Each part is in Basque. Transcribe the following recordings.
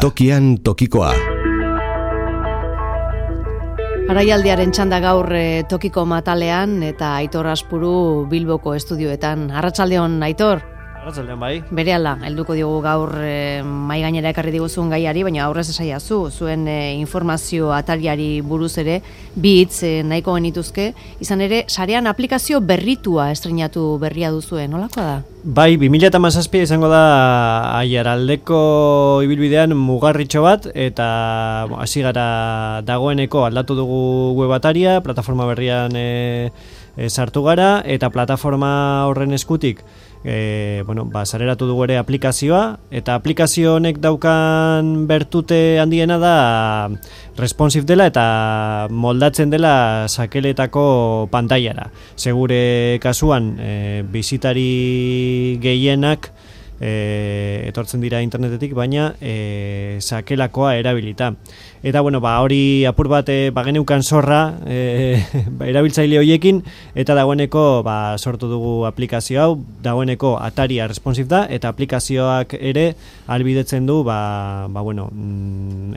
Tokian tokikoa. Araialdiaren txanda gaur tokiko matalean eta Aitor Aspuru Bilboko estudioetan. Arratsaldeon, Aitor. Arratsaldeon bai. Berehala, helduko diogu gaur mai gainera ekarri diguzun gaiari, baina aurrez esaiazu, zuen informazio ataliari buruz ere, bi hitz nahiko genituzke, izan ere, sarean aplikazio berritua estreinatu berria duzuen, nolakoa da? Bai, 2017 izango da Aiaraldeko ibilbidean mugarritxo bat, eta hasi gara dagoeneko aldatu dugu web ataria, plataforma berrian sartu gara, eta plataforma horren eskutik sareratu dugu ere aplikazioa, eta aplikazio honek daukan bertute handiena da responsive dela eta moldatzen dela sakeletako pantailara. Segure kasuan bisitari gehienak etortzen dira internetetik, baina sakelakoa erabilita. Eta hori apur bat bageneukan zorra erabiltzaile horiekin, eta dagoeneko sortu dugu aplikazio hau, dagoeneko ataria responsive da, eta aplikazioak ere ahalbidetzen du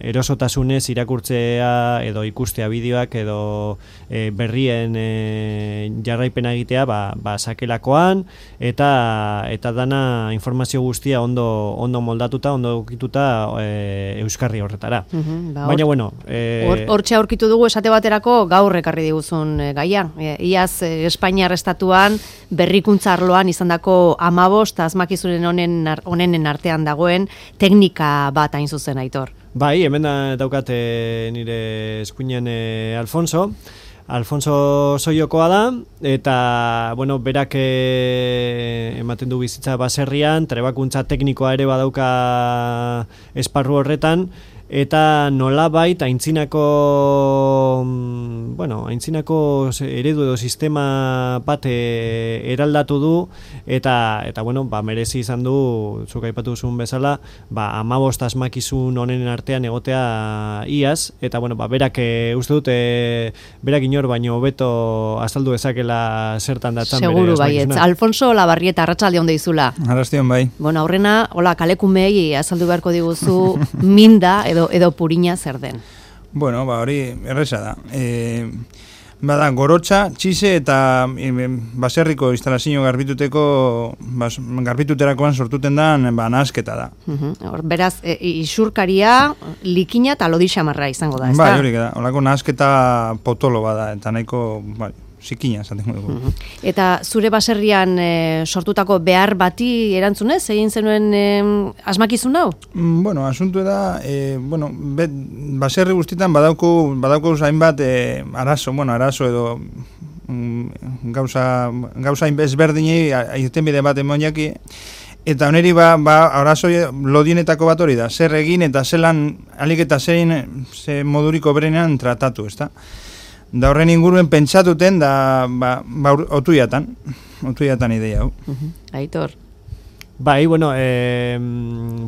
erosotasunez irakurtzea edo ikustea bideoak edo berrien jarraipena egitea sakelakoan, eta dana informazio guztia ondo moldatuta, ondo ukituta euskarri horretara. Baina, hortxe aurkitu dugu esate baterako gaur ekarri diguzun gaia. Iaz Espainiar estatuan berrikuntza arloan izandako 15 asmakizunen honenen artean dagoen teknika bat hain zuzen, Aitor. Bai, hemen daukat nire eskuinean Alfonso Soiokoa da, eta berak ematen du bizitza baserrian, trebakuntza teknikoa ere badauka esparru horretan, eta nolabait aintzinako eredu edo sistema bat eraldatu du, eta merezi izan du, zuk aipatu duzun bezala, 15 asmakizun honenen artean egotea iaz, eta berak uste dut berak inor baino hobeto azaldu dezakela zertan datzan bere asmakizuna. Seguru baietz. Alfonso Labarrieta, arratsaldeon deizula. Arratsaldeon bai. Aurrena, kalekumei azaldu beharko diguzu minda edo purina zer den. Hori erresa da. Bada, gorotxa, txise eta baserriko instalazio garbituterakoan sortuten da nahasketa da. Beraz, isurkaria, likina eta lodixamarra izango da, ez da? Bai, hori da. Olako nahasketa potolo bada, eta nahiko zikina esaten dugu. Eta zure baserrian sortutako behar bati erantzunez, egin zenuen asmakizun hau? Asuntu da, baserri guztietan badauko hainbat arazo edo gauza ezberdinei irtenbide bat emoniaki, eta oneri arazo lodienetako bat hori da, zer egin eta zelan alik eta zein moduriko berenean tratatu, ez da? Da horren inguruen pentsatuten da otuiatan ideia hau. Aitor. Bai,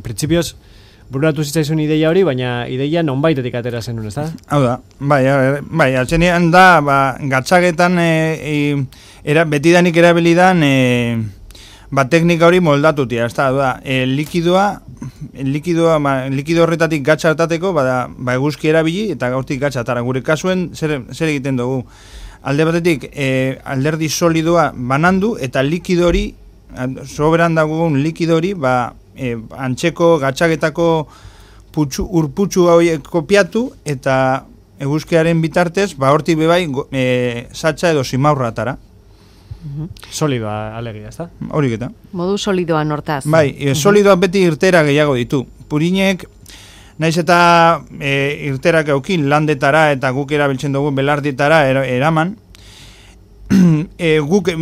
printzipioz bururatu zitzaizun ideia hori, baina ideia nonbaitetik atera zenun, ez da? Hau da, bai, altzenean da, gatzagetan betidanik erabilidan teknika hori moldatutia, ez da, likido horretatik gatza hartateko, eguzki erabili eta gaurtik gatza atara. Gure kasuen zer egiten dugu? Alde batetik, alderdi solidoa banandu eta likido hori, soberan dagoen likido hori, antxeko gatzagetako urputxu hori kopiatu eta eguzkiaren bitartez, hortik bebai, satxa edo simaurra atara. Solidoa alegia, ez da? Horik eta. Modu solidoan hortaz. Bai, solidoak beti irtera gehiago ditu. Purinek, naiz eta irterak eukin landetara eta guk erabiltzen dugu belarditara eraman, guk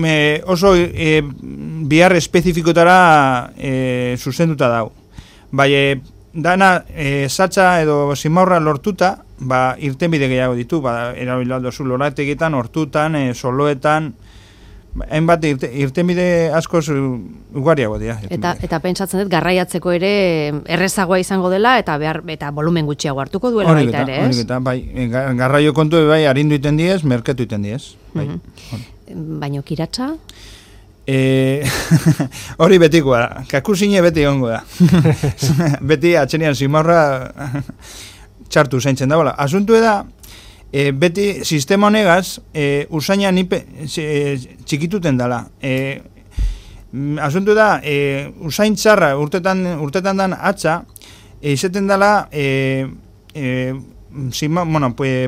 oso bihar espezifikotara zuzenduta dago. Bai, dana satxa edo simaurra lortuta, irtenbide gehiago ditu, erabilatu zu lorategitan, hortutan, soloetan, hainbat irtenbide askoz ugariago dira. Eta pentsatzen dut garraiatzeko ere errezagoa izango dela eta volumen gutxiago hartuko duela baita ere, ez? Horik eta, bai, garraio kontu arindu iten diez, merketu iten diez. Baina kiratsa? Hori betikoa da, kakusine beti ongo da. Beti atxenian zimarra txartu zaintzen da, bola. Asuntu da, beti sistema honegaz, usaina txikituten dela. Asuntu da, usain txarra urtetan dan atxa, izeten dela,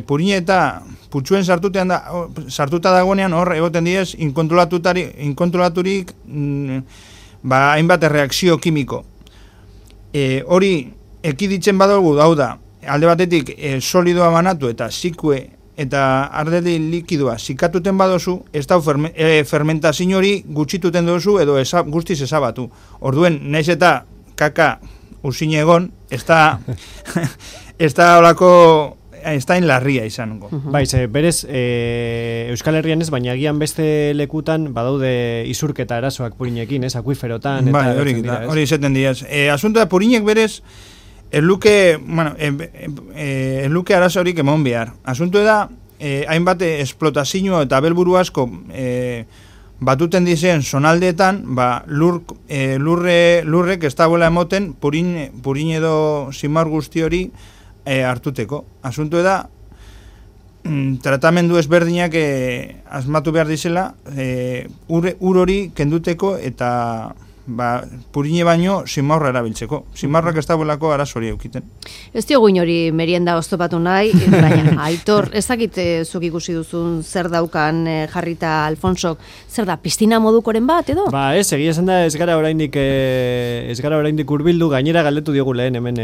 purine eta putxuen sartuta dagoenean hor egoten diez inkontrolaturik hainbat reakzio kimiko. Hori ekiditzen badugu hau da, alde batetik solidoa banatu eta zikue eta ardeli likidoa zikatuten badozu, ez da fermentazio hori gutxituten dozu edo guztiz ezabatu. Orduen, naiz eta kaka usine egon, ez da olako, ez da inlarria izango. Baiz, berez, Euskal Herrian ez, baina agian beste lekutan badaude isurketa arazoak purinekin, ez, akuiferotan. Bai, hori izaten diaz. Asunto da, purinek berez, ez luke arazorik emon behar. Asunto da, hainbat esplotazio eta belburu asko batuten dizen zonaldeetan, lurrek ez dagoela emoten purin edo zimar guzti hori hartuteko. Asunto da, tratamendu ezberdinak asmatu behar dizela, ur hori kenduteko eta purine baino zimarra erabiltzeko. Zimarrak ez dagoelako arazori eukiten. Ez diogu inori merienda oztopatu nahi, baina Aitor, ezakit zuk ikusi duzun zer daukan jarrita Alfonsok, zer da, piztina modukoren bat, edo? Ez, egia esan da ez gara oraindik hurbildu, gainera galdetu diogu lehen hemen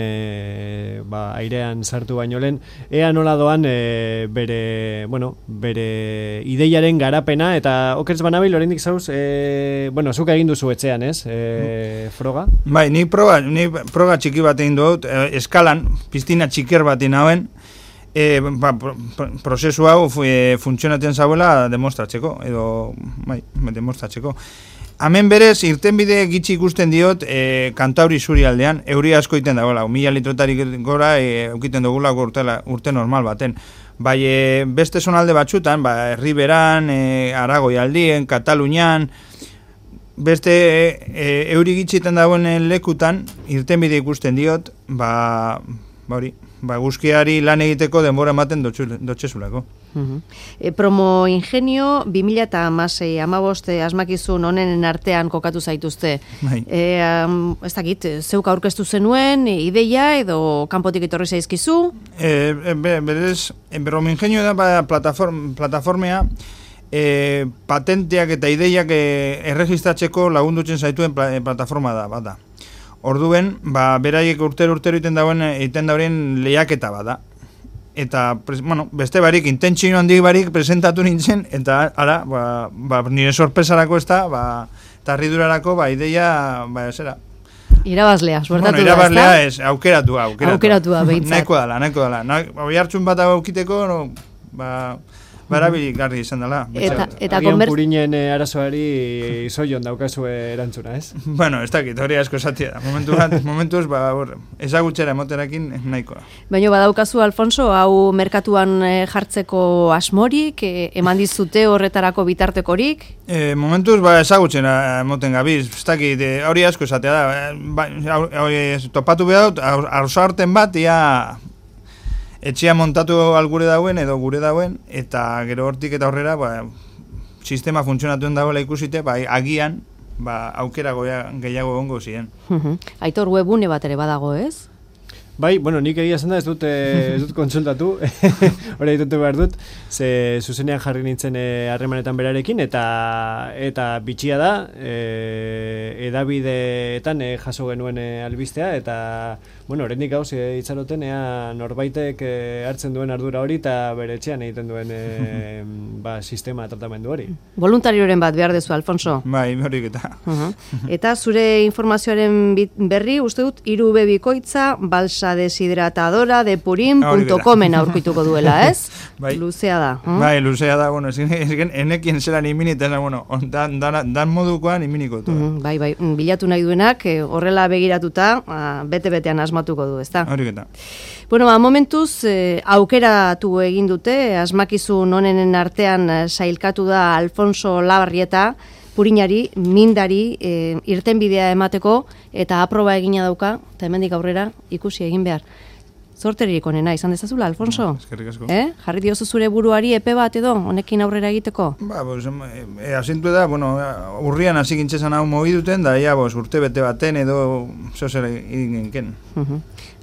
airean sartu baino lehen, ea nola doan bere ideiaren garapena, eta okertz banabil oraindik zauz, zuk egin duzu etxean, ez? Froga? Bai, ni proga txiki bat egin dut, eskalan, piztina txiker bat inauen, prozesu hau funtzionatzen zauela demostratzeko, demostratzeko. Hemen berez, irtenbide gitxi ikusten diot Kantauri zuri aldean, euri asko iten dagoela, 1000 litrotarik gora eukiten dugula urte normal baten. Bai, beste zonalde batzutan, Herriberan, Aragoi aldien, Katalunian, beste euri gitxiten dagoen lekutan, irtenbide ikusten diot, guzkiari lan egiteko denbora ematen dotxezulako. Promo Ingenio 2016 asmakizun honenen artean kokatu zaituzte. Ez dakit, zeuk aurkeztu zenuen, ideia edo kanpotik etorri zaizkizu? Berez, Promo Ingenio da plataformea, patenteak eta ideiak erregistratzeko lagundutzen zaituen plataforma da, bada. Orduen, beraiek urtero egiten dauen lehiaketa bada. Eta, beste barik, intentzio handik barik presentatu nintzen, eta ara, nire sorpresarako ez da, eta harridurarako, ideia, zera. Irabazlea, suertatu da, irabazlea ez, aukeratua. Aukeratua, behintzat. Nahiko dela. Hoi hartzun bat aukiteko, barabilik garri izan dela. Eta purinen arazoari zoion daukazu erantzuna, ez? Ez dakit, hori asko esatia da. Momentuz, ezagutxera emoterakin nahikoa. Baina badaukazu, Alfonso, hau merkatuan jartzeko asmorik, eman dizute horretarako bitartekorik? Momentuz, ezagutxera emoten gabiz. Ez dakit, hori asko esatia da. Topatu behar dut, arzaarten bat, etxea montatu gure dauen edo gure dauen, eta gero hortik eta horrera sistema funtzionatuen dagoela ikusite, agian aukera gehiago gongo ziren. Aitor, webune bat ere badago, ez? Bai, nik egia zen da ez dut kontsultatu, hori ditutu behar dut, ze zuzenean jarri nintzen harremanetan berarekin, eta bitxia da, edabideetan jaso genuen albistea, eta, horrendik gauz itxaroten, norbaitek hartzen duen ardura hori, eta bere etxean egiten duen sistema tratamendu hori. Voluntarioren bat behar dezu, Alfonso? Bai, horik eta. Eta zure informazioaren berri, uste dut, 3 bikoitza, balsa deshidratadora de purin.comen aurkituko duela, ez? Bai. Luzea da. Bai, luzea da, enekien zelan iminita, dan modukoan iminiko. Bai, bilatu nahi duenak, horrela begiratuta, bete-betean asmatuko du, ezta? Horiketa. Momentuz, aukeratu egin dute, asmakizun honenen artean sailkatu da Alfonso Labarrieta, purinari, mindari, irtenbidea emateko, eta aproba egina dauka, eta hemendik aurrera ikusi egin behar. Zorterik onena, izan dezazula, Alfonso? Eskerrik asko. Jarri diozu zure buruari epe bat edo, honekin aurrera egiteko? Pues, asintu da, urrian hasi gintzezan hau mogi duten, da, urte bete baten edo zer egin genken.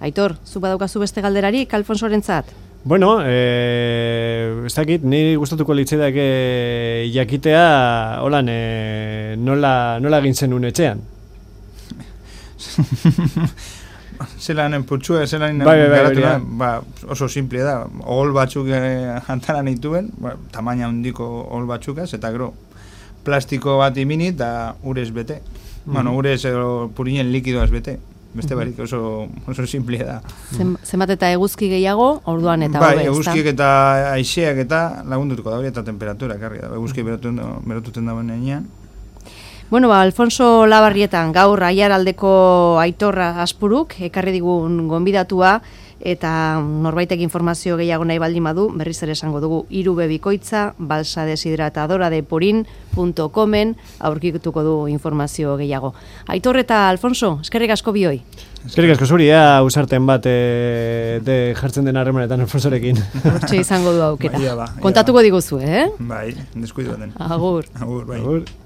Aitor, zu badaukazu beste galderarik, Alfonsorentzat? Bueno, ez dakit, niri gustatuko litzaidake jakitea, holan, nola egin zenun etxean? Zelanen putxua, zelanen oso simple da. Ohol batzuk jantara nituen, tamaina handiko ohol batzukaz, eta gero plastiko bat imini eta urez bete. Urez purinen likidoaz bete. Beste barik oso simple da. Zenbat eta eguzki gehiago, orduan eta hobe, ezta? Eguzkiek eta aizeak eta lagundutuko da hori eta temperatura ekarri da. Eguzki berotuten dagoen enean. Bueno, Alfonso Labarrietan gaur Aiaraldeko Aitorra Aspuruk ekarri digun gonbidatua eta norbaitek informazio gehiago nahi baldin badu, berriz ere esango dugu 3 bikoitza balsadeshidratadora.com-en aurkituko du informazio gehiago. Aitor eta Alfonso, eskerrik asko bioi. Eskerrik asko zuri, usarten bat jartzen den harremanetan Alfonsorekin. Hortxe izango du aukera. Kontatuko diguzu, Bai, deskuidu baten. Agur. Agur, bai. Agur.